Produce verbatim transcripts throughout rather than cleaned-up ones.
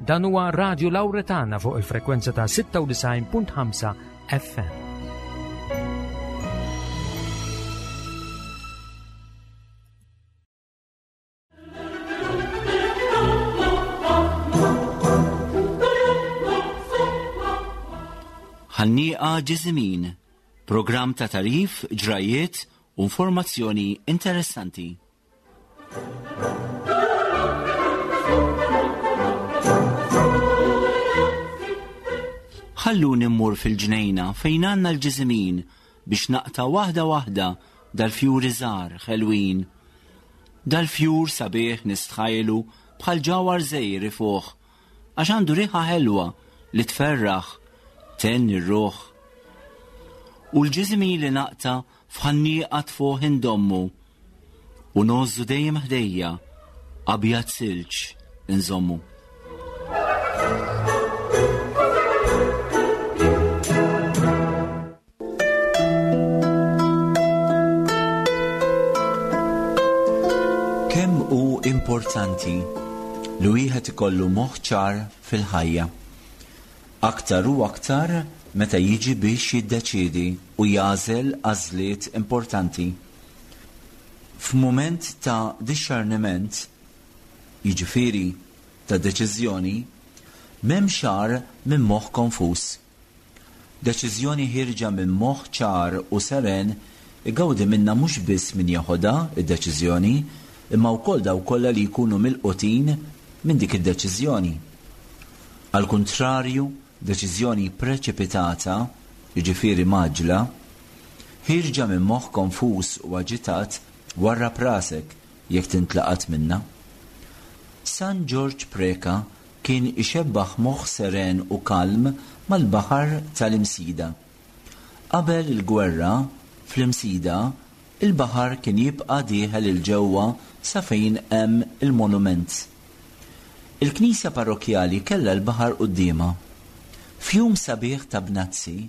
Dan huwa Radio Lauretana fuq il-frekwenza ta' sitta u disgħin punt ħamsa F M. Ħanniqa Ġiżimin, programm ta' tagħrif, ġrajiet u informazzjoni interessanti. Ħalluni mmur fil-ġnejna fejn għandna l-ġiżimin biex naqta' waħda waħda dal-fjuri żgħar ħelwin. Dal-fjur sabiħ nistħajlu bħal ġawhar żgħir ifuħ, għax għandu riħa ħelwa li tferraħ, thenni r-ruħ. U l-ġiżimin li naqta' f'ħanniqa tfuħ indommu u ngħożżu dejjem ħdejja, abjad silġ inżommu. Kemm hu importanti li wieħed ikollu moħħ ċar fil-ħajja? Aktar u aktar meta jiġi biex jiddeċiedi u jagħżel għażliet importanti. F'mument ta' dixxerniment, jiġifieri ta' deċiżjoni, m'hemmx agħar minn moħħ konfuż. Deċiżjoni ħierġa minn moħħ ċar u seren igawdi minna mhux biss min jeħodha id-deċiżjoni, imma wkoll dawk kollha li jkunu milqutin minn dik id-deċiżjoni. Al kontrarju, deċiżjoni preċipitata, jiġifieri mgħaġġla, ħierġa minn moħħ konfuż u aġitat, warrab rasek jekk tintlaqat minna. San Ġorġ Preka kien ixebbaħ moħħ seren u kalm mal-baħar tal-Imsida. Qabel il-gwerra, fl-Imsida, il-baħar kien jibqa' dieħel 'il ġewwa sa fejn hemm il-monument. Il-knisja parrokjali kellha l-baħar quddiemha. F'jum sabiħ ta' bnazzi,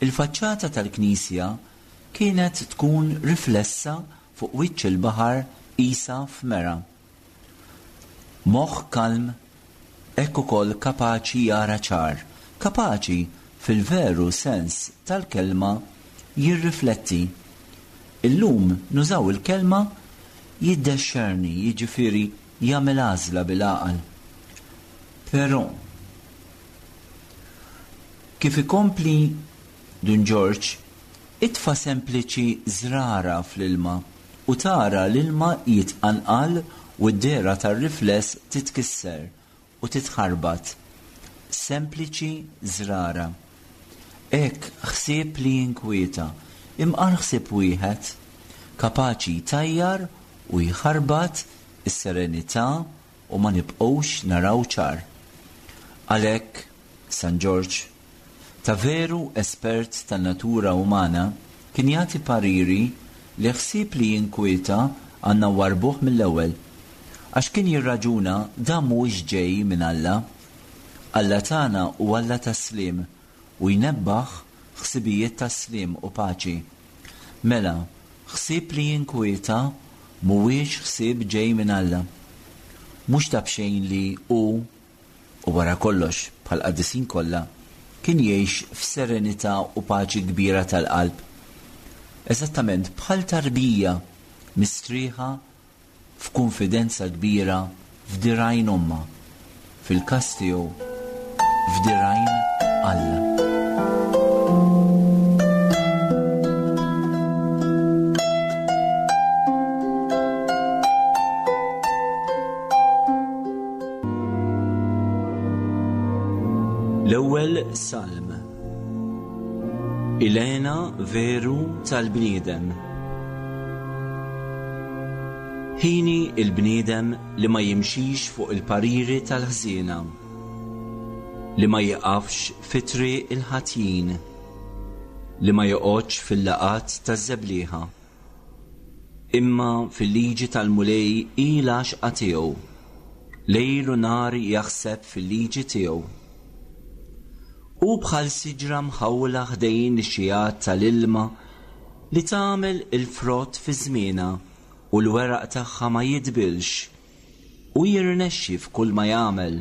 il-faċċata tal-knisja kienet tkun riflessa fuq wiċċ il-baħar qisha f'mera. Moħħ kalm hekk ukoll kapaċi jara ċar, kapaċi fil-veru sens tal-kelma jirrifletti. Illum nużaw il-kelma jiddexxerni, jiġifieri jagħmel għażla bil-għaqal. Però kif ikompli Dun Ġorġ, itfa' sempliċi żrara fl-ilma u tara l-ilma jitqanqal u d-dehra tar-rifless titkisser u titħarbat. Sempliċi żrara. Hekk ħsieb li jinkwieta, imqar ħsieb wieħed, kapaċi jtajjar u jħarbat is-serenità u ma nibqgħux naraw ċar. Għalhekk, San Ġorġ, ta' veru espert tan-natura umana, kien jagħti pariri li ħsieb li jinkwieta għandna nwarrbuh mill-ewwel. Għax kien jirraġuna dan mhuwiex ġej minn Alla. Alla tagħna hu Alla tas-sliem u jnebbaħ ħsibijiet tas-sliem u paċi. Mela, ħsieb li jinkwieta mhuwiex ħsieb ġej minn Alla. Mhux ta' bxejn li hu u wara kollox bħal qaddisin kollha kien jgħix f'serenità u paċi kbira tal-qalb. Eżattament bħal tarbija mistrieħa f'kunfidenza kbira f'dirgħajn ommha, fil-każ tiegħu f'dirgħajn Alla. L-ewwel Salm. Il-hena veru tal-bniedem. Hieni il-bniedem li ma jimxix fuq il-pariri tal-ħżiena, li ma jiqafx fi triq il-ħatjin, li ma joqgħodx fil-laqgħat taż-żeblieħa. Imma fil-liġi tal-Mulej hi l-għaxqa tiegħu, lejl u nhar jaħseb fil-liġi tiegħu. Hu bħal siġra mħawla ħdejn ix-xigħat tal-ilma li tagħmel il-frott fi żmienha u l-weraq tagħha ma jidbilx u jirnexxi f'kull ma jagħmel.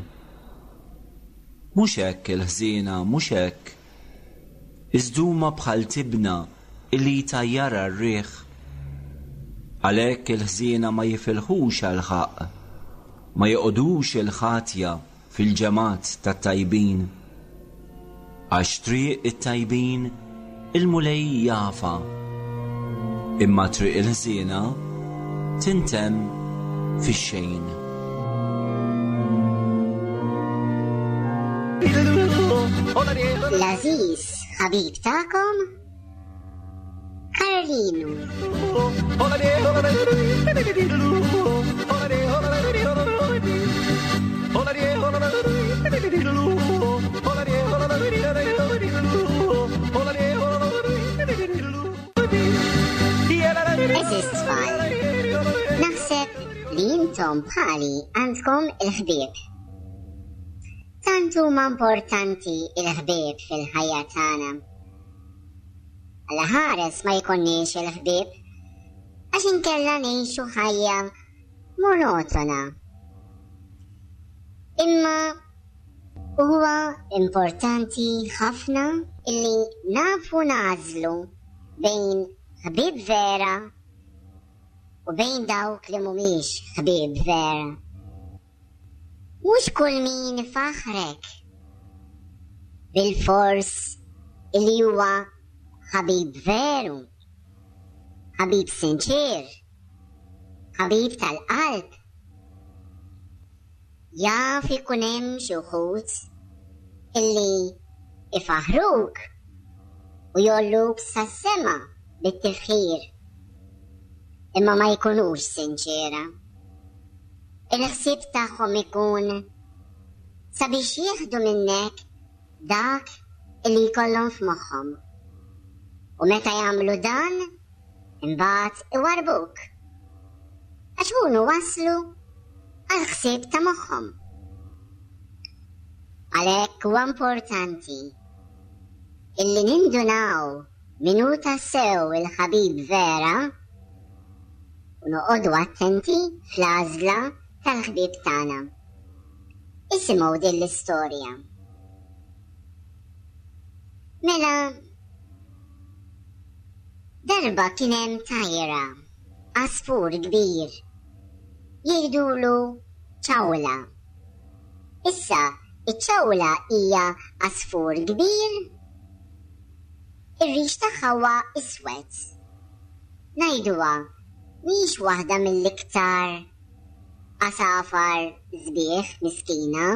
Mhux hekk il-ħżiena, mhux hekk. Iżda huma bħal tibna illi jtajjarha r-riħ. Għalhekk il-ħżiena ma jifilħux għall-ħaqq, ma joqogħdux il-ħatja fil-ġemgħat tat-tajbin. Għax triq it-tajbin il-Mulej jafha, imma triq il-ħżiena tintemm fix-xejn. L-għażiż ħabib tagħkom Karolinu. Eżis tfal, naħseb li intom bħali għandkom il-ħbieb. Tant huma importanti il-ħbieb fil-ħajja tagħna. Alla ħares ma jkunniex il-ħbieb, għax inkella ngħixu ħajja monotona. Imma huwa importanti ħafna illi nafu nagħżlu bejn ħbieb vera u bejn dawk li mhumiex ħbieb vera. Mhux kull min faħrek bil-fors illi huwa ħabib veru, ħabib sinċir, ħabib tal-qalb. Jaf ikun hemm xi wħud illi ifaħruk u jolluk sas-sema bit-tifħir, imma ma jkunux sinċera. Il-ħsieb tagħhom ikun sabiex jieħdu minnek dak illi jkollhom f'moħħhom. U meta jagħmlu dan, imbagħad iwarbuk. Għax hunu waslu għal ħsieb ta' moħħhom. Għalhekk huwa importanti illi nindunaw min hu tassew il-ħabib vera u noqogħdu attenti fl-għażla tal-ħbieb tagħna. Isimgħu din l-istorja. Mela, darba kien hemm tajra, għasfur kbir, jgħidulu ċawla. Issa, iċ-ċawla hija għasfur kbir, ir-rix tagħha huwa iswed. Ngħiduha mhix waħda mill-iktar għasafar sbieħ miskina.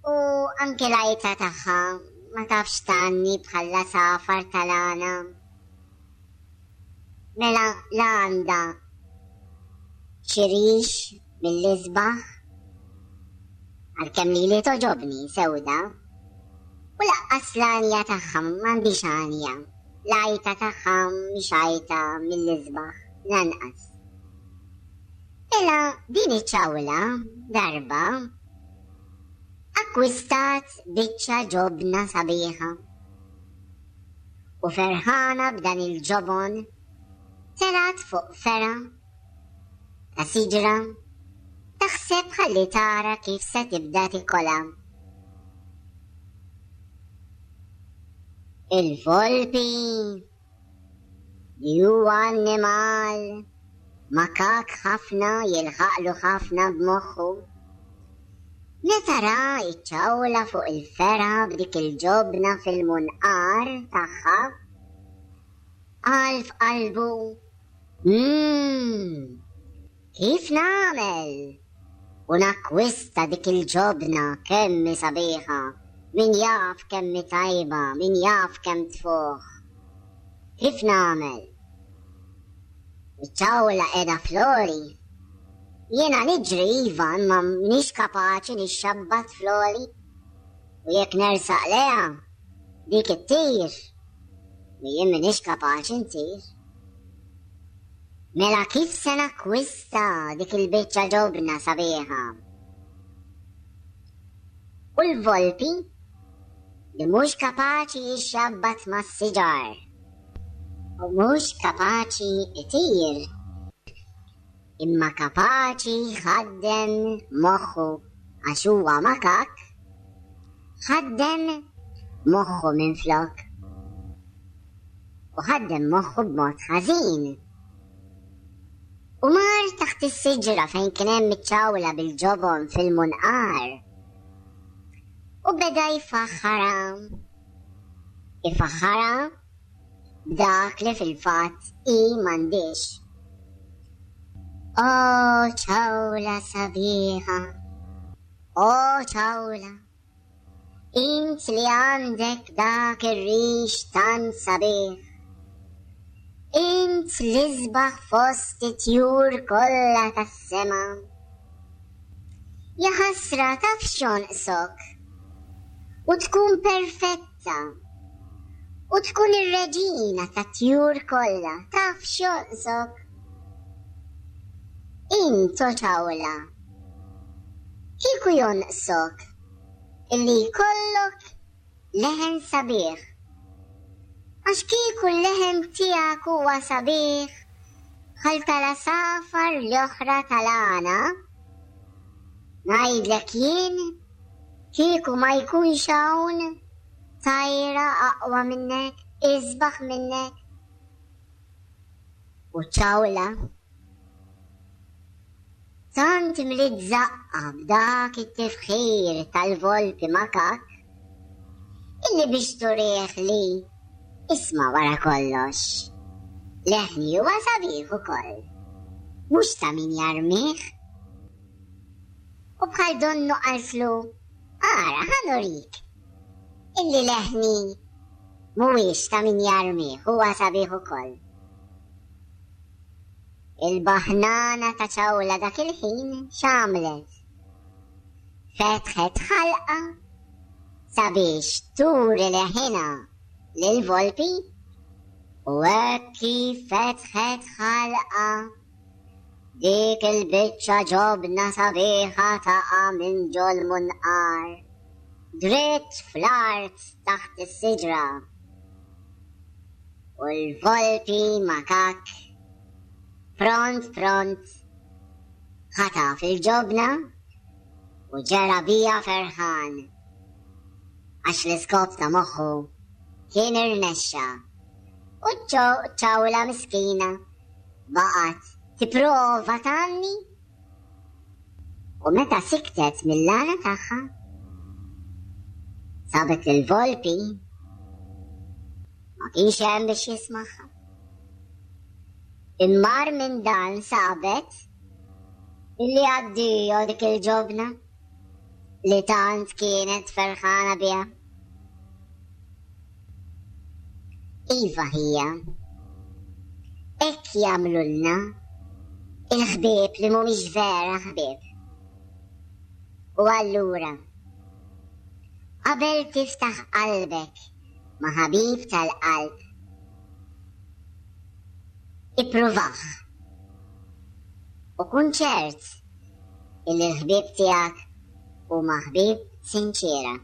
U anke l-għajta tagħha ma tafx tgħanni bħal safar tal-għana. Mela la għandha xi rix mill-isbaħ, għalkemm lili toġobni sewda, u laqqas l-għanja tagħha m'għandix għanja. L-għajta tagħha mhix għajta mill-isbaħ lanqas. Mela din iċ-ċawla darba akkwistat biċċa ġobna sabiħa. U ferħana b'dan il-ġobon telgħet fuq fergħa ta' siġra taħseb ħalli tara kif se tibda tikolha. Il-volpi li huwa annimal makak ħafna, jilħaqlu ħafna b'moħħu. Meta ra iċ-ċawla fuq il-fergħa b'dik il-ġobna fil-munqar tagħha, qal f'qalbu, "Mmm, kif nagħmel u nakkwista dik il-ġobna kemm hi sabiħa, min jaf kemm hi tajba, min jaf kemm tfuħ. Kif nagħmel? Iċ-ċawla qiegħda flori. Jiena niġri iva, imma m'iniex kapaċi nixxabbat flori. U jekk nersaq leha, dik ittir. U jien m'iniex kapaċi ntir. Mela kif se nakkwista dik il-biċċa ġobna sabiħa?" U l-volpi li mhux kapaċi jixxabbat mas-siġar u mhux kapaċi itir, imma kapaċi jħaddem moħħu għax huwa makak, ħaddem moħħu minflok. U ħaddem moħħu b'mod ħażin. U mar taħt is-siġra fejn kien hemm iċ-ċawla bil-ġobon fil-munqar. U beda jfaħħarha. Ifaħħarha b'dak li fil-fatt hi m'għandhiex. O ċawla sabiħa, o ċawla, int li għandek dak ir-rix tant sabiħ. Int l-isbaħ fost it-tjur kollha tas-sema. Ja ħasra taf x'jonqsok u tkun perfetta u tkun ir-reġina tat-tjur kollha, taf x'jonqsok. Int o ċawla, kieku jonqsok illi jkollok leħen sabiħ. Għax kieku l-leħen tiegħek huwa sabiħ bħal tal-għasafar l-oħra tal-għana, ngħidlek jien kieku ma jkunx hawn tajra aqwa minnek, isbaħ minnek. U ċawla tant mliet żaqqa b'dak it-tifħir tal-volpi makak illi biex turih li isma' wara kollox, leħni huwa sabiħ ukoll, mhux ta' min jarmih. U bħal donnu qaltlu, ara ħa nurik illi leħni mhuwiex ta' min jarmih, huwa sabiħ ukoll. Il-baħnana ta' ċawla dak il-ħin x'għamlet? Fetħet ħalqa sabiex turi leħinha lil-volpi, u hekk kif fetħet ħalqa dik il-biċċa ġobna sabiħa taqa' minn ġol-munqar, dritt fl-art taħt is-siġra. U l-volpi makak pront pront ħataf il-ġobna u ġera bija ferħan, għax l-iskop ta' moħħu kien irnexxa. U ċawla miskina baqgħet tipprova tgħanni, u meta siktet mill-għana tagħha sabet il-volpi ma kienx hemm biex jismagħha. Immar minn dan sabet illi għaddijo dik il-ġobna li tant kienet ferħana biha. Iva ħija, hekk jagħmlulna il-ħbieb li mhumiex vera ħbieb. U allura, qabel tiftaħ qalbek ma' ħabib tal-qalb, ippruvah u kun ċert illi l-ħbieb tiegħek huma ħbieb sinċiera,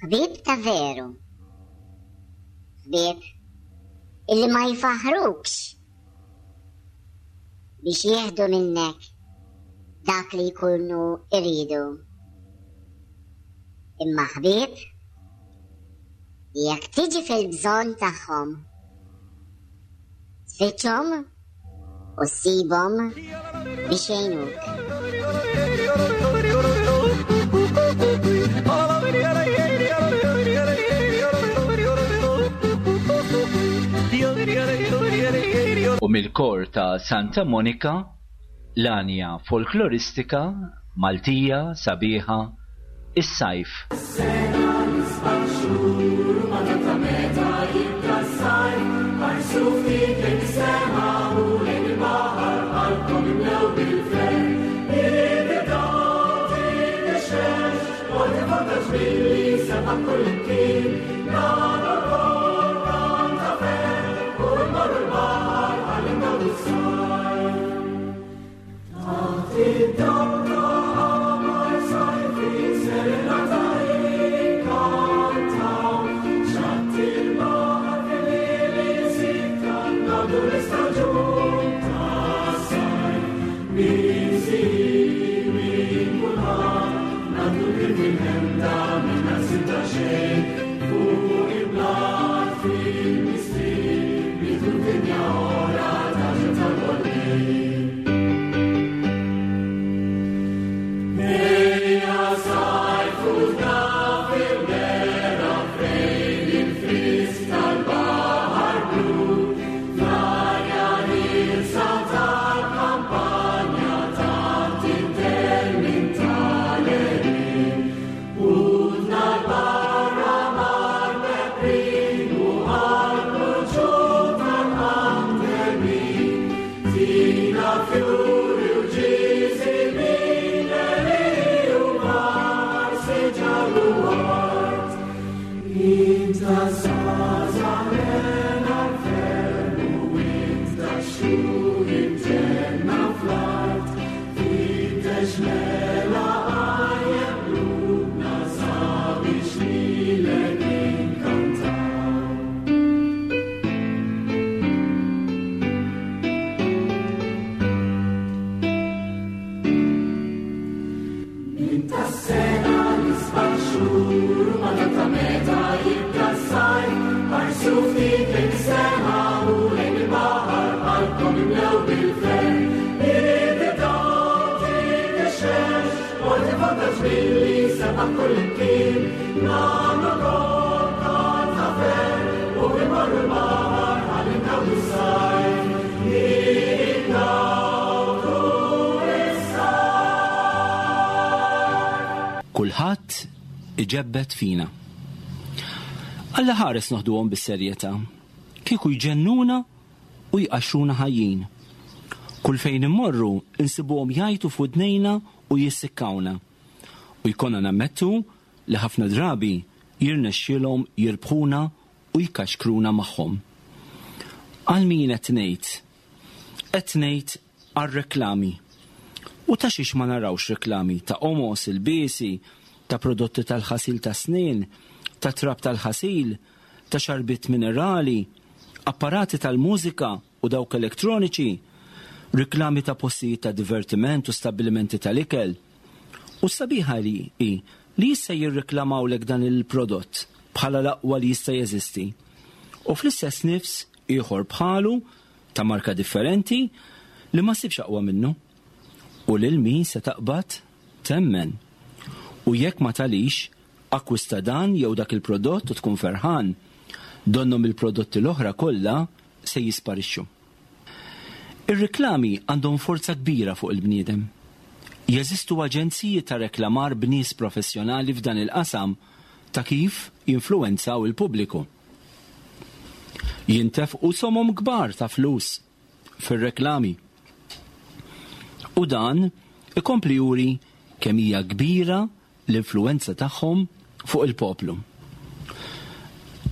ħbieb ta' veru, ħbieb illi ma jfaħrukx biex jieħdu minnek dak li jkunu iridu, imma ħbieb li jekk tiġi fil-bżonn tagħhom tfittxhom u ssibhom biex jgħinuk. U mill-kor ta' Santa Monica, l-għanja folkloristika Maltija sabiħa, is-sajf. Min si, min kulħadd. Kulħadd iġebbed fina. Alla ħares noħduhom bis-serjetà. Kieku jġennuna u jqaxxruna ħajjin. Kull fejn immorru insibuhom jgħajtu f'widnejna u jissikkawna. U jkollna nammettu li ħafna drabi jirnexxielhom jirbħuna u jkaxkruna magħhom. Għal min qed ngħid? Qed ngħid għar-reklami. U ta' xiex ma narawx reklami ta' omos, il-biesi, ta' prodotti tal-ħasil ta' snien, ta' trab tal-ħasil, ta' xarbit minerali, apparati tal-mużika u dawk elektroniċi, reklami ta' postijiet ta' divertiment u stabbilimenti tal-ikel. U sabiħa li hi li jista' jirreklamawlek dan il-prodott bħala l-aqwa li jista' jeżisti. U fl-istess nifs ieħor bħalu ta' marka differenti li ma ssibx aqwa minnu. U lil min se taqbad temmen. U jekk ma talix, akkwista dan jew dak il-prodott u tkun ferħan. Donnhom il-prodotti l-oħra kollha se jisparixxu. Ir-reklami għandhom forza kbira fuq il-bniedem. Jeżistu aġenziji ta' reklamar b'nies professjonali f'dan il-qasam ta' kif jinfluwenzaw il-pubbliku. Jintefqu somom kbar ta' flus fir-reklami. U dan ikompli juri kemm hija kbira l-influwenza tagħhom fuq il-poplu.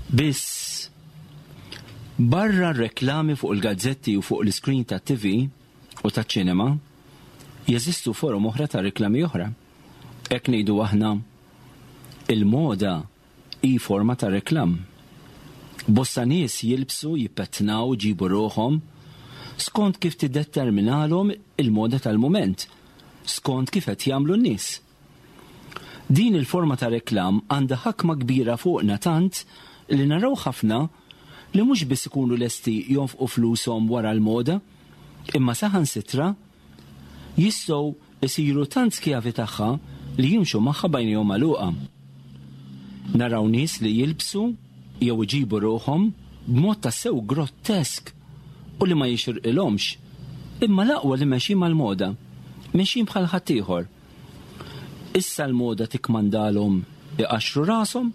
Biss barra reklami fuq il-gazzetti u fuq l-iskrin tat-T V u taċ-ċinema, jeżistu forom oħra ta' reklami oħra. Hekk ngħidu aħna, il-moda hi forma ta' reklam. Bosta nies jilbsu, jippettnaw, ġibu ruħhom skont kif tiddeterminalhom il-moda tal-mument, skont kif qed jagħmlu n-nies. Din il-forma ta' reklam għandha ħakma kbira fuqna tant li naraw ħafna li mhux biss ikunu lesti jonfqu flushom wara l-moda, imma saħansitra jistgħu isiru tant skjavi tagħha li jimxu magħha bajnejhom magħluqa. Naraw nies li jilbsu jew iġibu ruħhom b'mod tassew grottesk u li ma jixirqilhomx, imma l-aqwa li mexjin mal-moda, mexjin bħal ħaddieħor. Issa l-moda tikmandalhom iqaxxru rashom,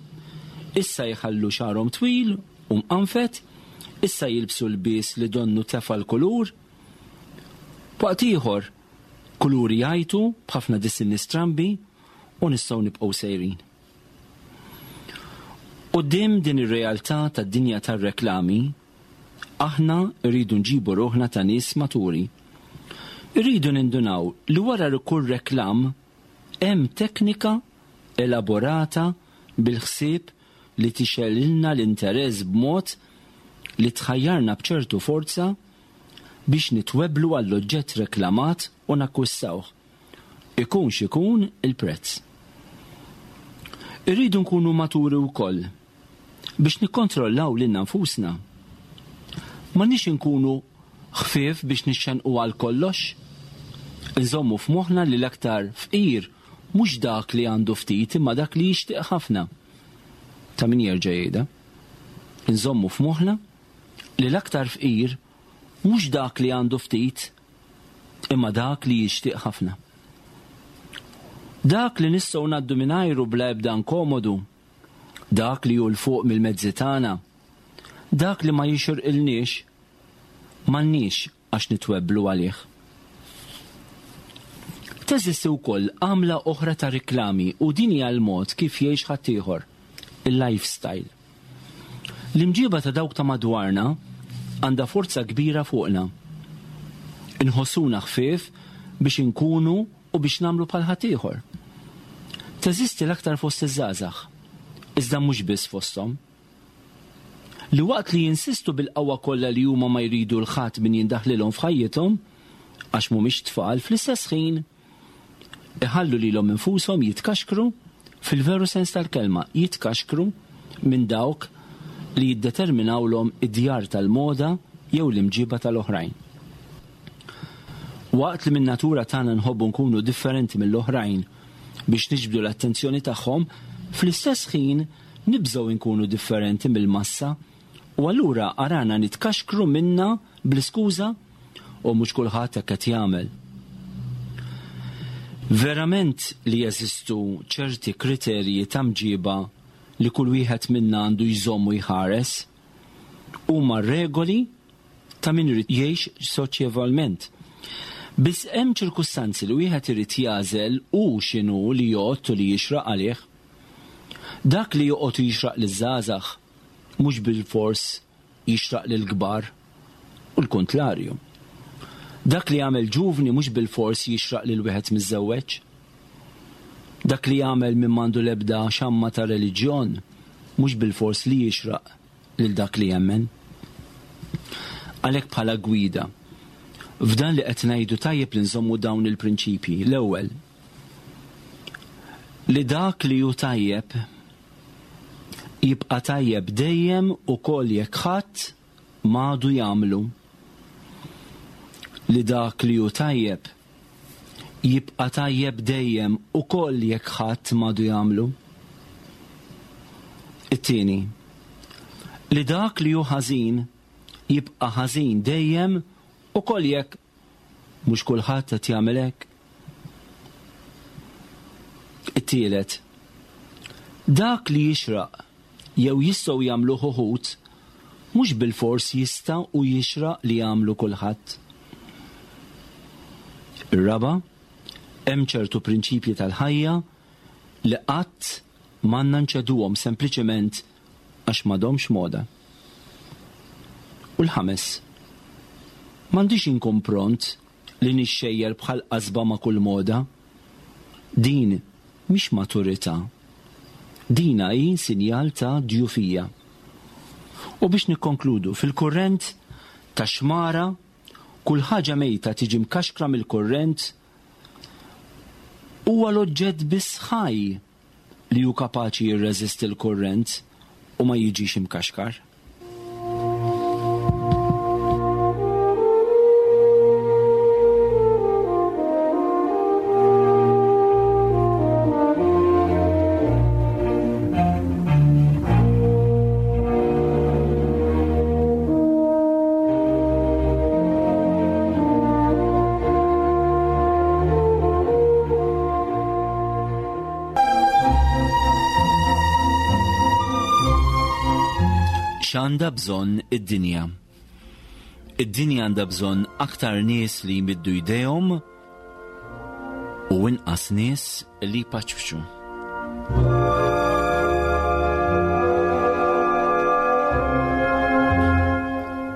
issa jħallu xagħarhom twil u mqanfet, issa jilbsu l-bies li donnu tefa' l-kulur. Waqt ieħor, kuluri jgħajtu b'ħafna disinni strambi u nistgħu nibqgħu sejrin. Quddiem din ir-realtà tad-dinja tar-reklami, aħna rridu nġibu ruħna ta' nies maturi. Irridu nindunaw li wara kull reklam hemm teknika elaborata bil-ħsieb li tixgħelilna l-interess b'mod li tħajjarna b'ċertu forza biex nitweblu għall-oġġett reklamat u nakkwistawh, ikun x'ikun il-prezz. Irridu nkunu maturi wkoll biex nikkontrollaw lilna nfusna. M'għandniex inkunu ħfief biex nixxenqu għal kollox. Inżommu f'moħħna li l-aktar fqir mhux dak li għandu ftit imma dak li jixtieq ħafna. Ta' min jerġa' jgħidha. Inżommu f'moħħna li l-aktar fqir mhux dak li għandu ftit imma dak li jixtieq ħafna. Dak li nistgħu ngħaddu mingħajru bla ebda inkomodu, dak li hu 'l fuq mill-mezzi tagħna, dak li ma jixirqilniex, m'għandniex għax nitwebblu għalih. Teżisti wkoll għamla oħra ta' riklami u din hija l-mod kif jgħix ħaddieħor, il-lifestyle. L-imġiba ta' dawk ta' madwarna għandha forza kbira fuqna. Inħossuna ħfief biex inkunu u biex nagħmlu bħal ħaddieħor. Teżisti l-aktar fost iż-żgħażagħ, iżda mhux biss fosthom. Li waqt li jinsistu bil-qawwa kollha li huma ma jridu 'l ħadd min jindaħlilhom f'ħajjithom, għax mhumiex tfal, fl-istess ħin iħallu lilhom infushom jitkaxkru, fil-veru sens tal-kelma, jitkaxkru minn dawk li jiddeterminawlhom id-djar tal-moda jew l-imġiba tal-oħrajn. Waqt li min-natura tagħna nħobbu nkunu differenti mill-oħrajn biex niġbdu l-attenzjoni tagħhom, fl-istess ħin nibżgħu nkunu differenti mill-massa u allura arana nitkaxkru minna bl-iskuża u mhux kulħadd hekk qed jagħmel. Verament li jeżistu ċerti kriterji ta' mġiba li kull wieħed minna għandu jżomm u jħares, huma regoli ta' min irid jgħix soċjevalment. Biss hemm ċirkustanzi li wieħed irid jagħżel u x'inhu li jgħodd u li jixraq għalih. Dak li joqgħod u jixraq liż-żgħażagħ mhux bilfors jixraq lill-kbar u l-kontlarju. Dak li jagħmel ġuvni mhux bilfors jixraq lil wieħed miżżewweġ. Dak li jagħmel min m'għandu l-ebda xamma ta' reliġjon mhux bilfors li jixraq lil dak li jemmen. Għalhekk bħala gwida, f'dan li qed ngħidu tajjeb li nżommu dawn il-prinċipji. L-ewwel, li dak li hu tajjeb jibqa' tajjeb dejjem ukoll jekk ħadd m'għadu jagħmlu. Li dak li hu tajjeb jibqa' tajjeb dejjem ukoll jekk ħadd m'għadu jagħmlu. It-tieni, li dak li hu ħażin jibqa' ħażin dejjem ukoll jekk mhux kulħadd qed jagħmel hekk. It-tielet, dak li jixraq jew jistgħu jagħmluh uħud mhux bilfors jista' u jixraq li jagħmlu kulħadd. Ir-raba', hemm ċertu prinċipji tal-ħajja li qatt m'għandna nċeduhom sempliċement għax m'għadhomx moda. U l-ħames, m'għandix inkun pront li nixxejjer bħal qasba ma' kull moda. Din mhix maturità. Dina hi sinjal ta' djufija. U biex nikkonkludu, fil-kurrent ta' xmara, kull ħaġa mejta tiġi mkaxkra mill-kurrent, huwa l-oġġett biss ħaj li hu kapaċi jirreżisti l-kurrent u ma jiġix imkaxkar. X'għandha bżonn id-dinja? Id-dinja għandha bżonn aktar nies li jmiddu jdejhom u inqas nies li jpaċċu.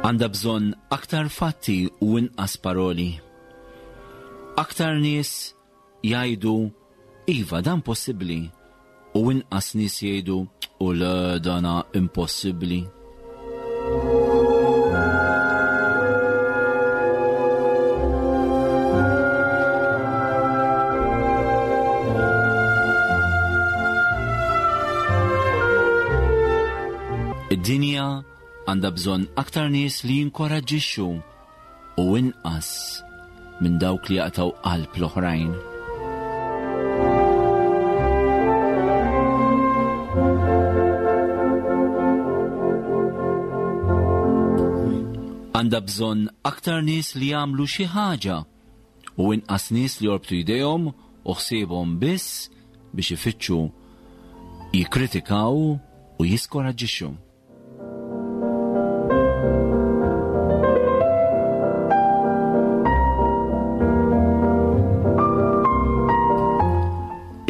Għandha bżonn aktar fatti u inqas paroli. Aktar nies jgħidu iva dan possibbli u inqas nies jgħidu u le dana impossibbli. Id-dinja għandha bżonn aktar nies li jinkoraġġixxu u inqas minn dawk li jaqtgħu qalb l-oħrajn. Għandha bżonn aktar nies li jagħmlu xi ħaġa u inqas nies li jorbtu jdejhom u ħsiebhom biss biex ifittxu jikkritikaw u jiskoraġġixxu.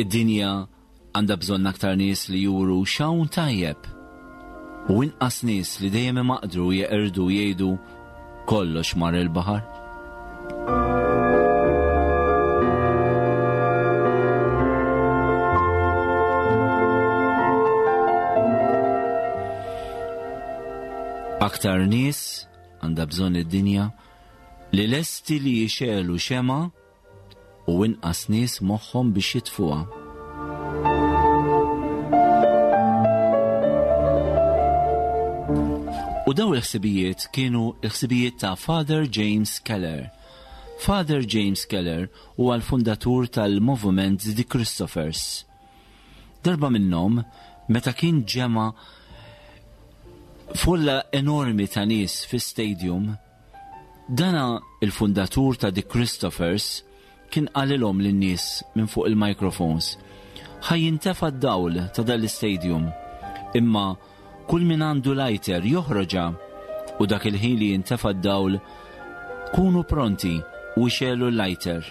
Id-dinja għandha bżonn aktar nies li juru x'hawn tajjeb u inqas nies li dejjem imaqdru jeqirdu jgħidu kollox mar il-baħar. Aktar nies għandha bżonn id-dinja li lesti li jixegħlu xema u inqas nies moħħhom biex jitfuha. U daw il-ħsibijiet kienu il-ħsibijiet ta' Father James Keller. Father James Keller huwa l-fundatur tal-Movement The Christophers. Darba minnhom, meta kien ġema folla enormi ta' nies fi stadium, dana il-fundatur ta' The Christophers kien qalilhom lin-nies minn fuq il-microphones, ħa jintefa d-dawl ta' dal-istadium, imma kull min għandu lighter joħroġha u dak il-ħin li jintefa d-dawl kunu pronti u xegħlu l-lighter.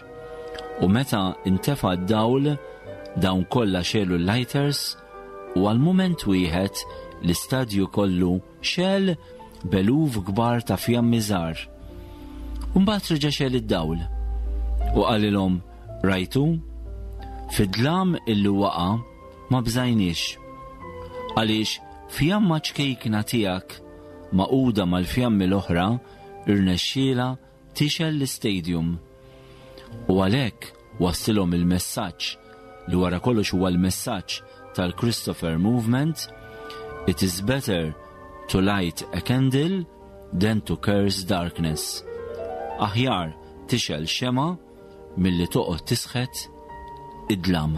U meta intefa d-dawl, dawn kollha xegħlu l-lighters u għal mument wieħed l-istadju kollu xegħel b'eluf kbar ta' fjammi żgħar. U mbagħad reġa' xegħel id-dawl u qalilhom, rajtu, fid-dlam illi waqa' ma bżajniex, għaliex fjamma ċkejkna tiegħek magħquda mal-fjammi l-oħra irnexxiela tixgħel l-istadium. U għalhekk wassilhom il-messaġġ li wara kollox huwa l-messaġġ tal-Christopher Movement: "It is better to light a candle than to curse darkness." Aħjar tixgħel xemgħa milli toqgħod tisħet id-dlam.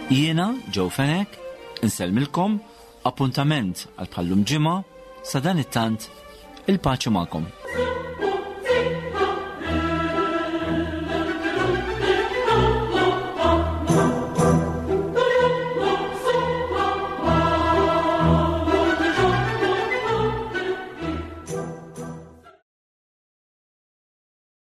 Jiena Joe Fenech, insellmilkom, appuntament għal bħallum ġimgħa, sa dan it-tant il-paċi magħkom.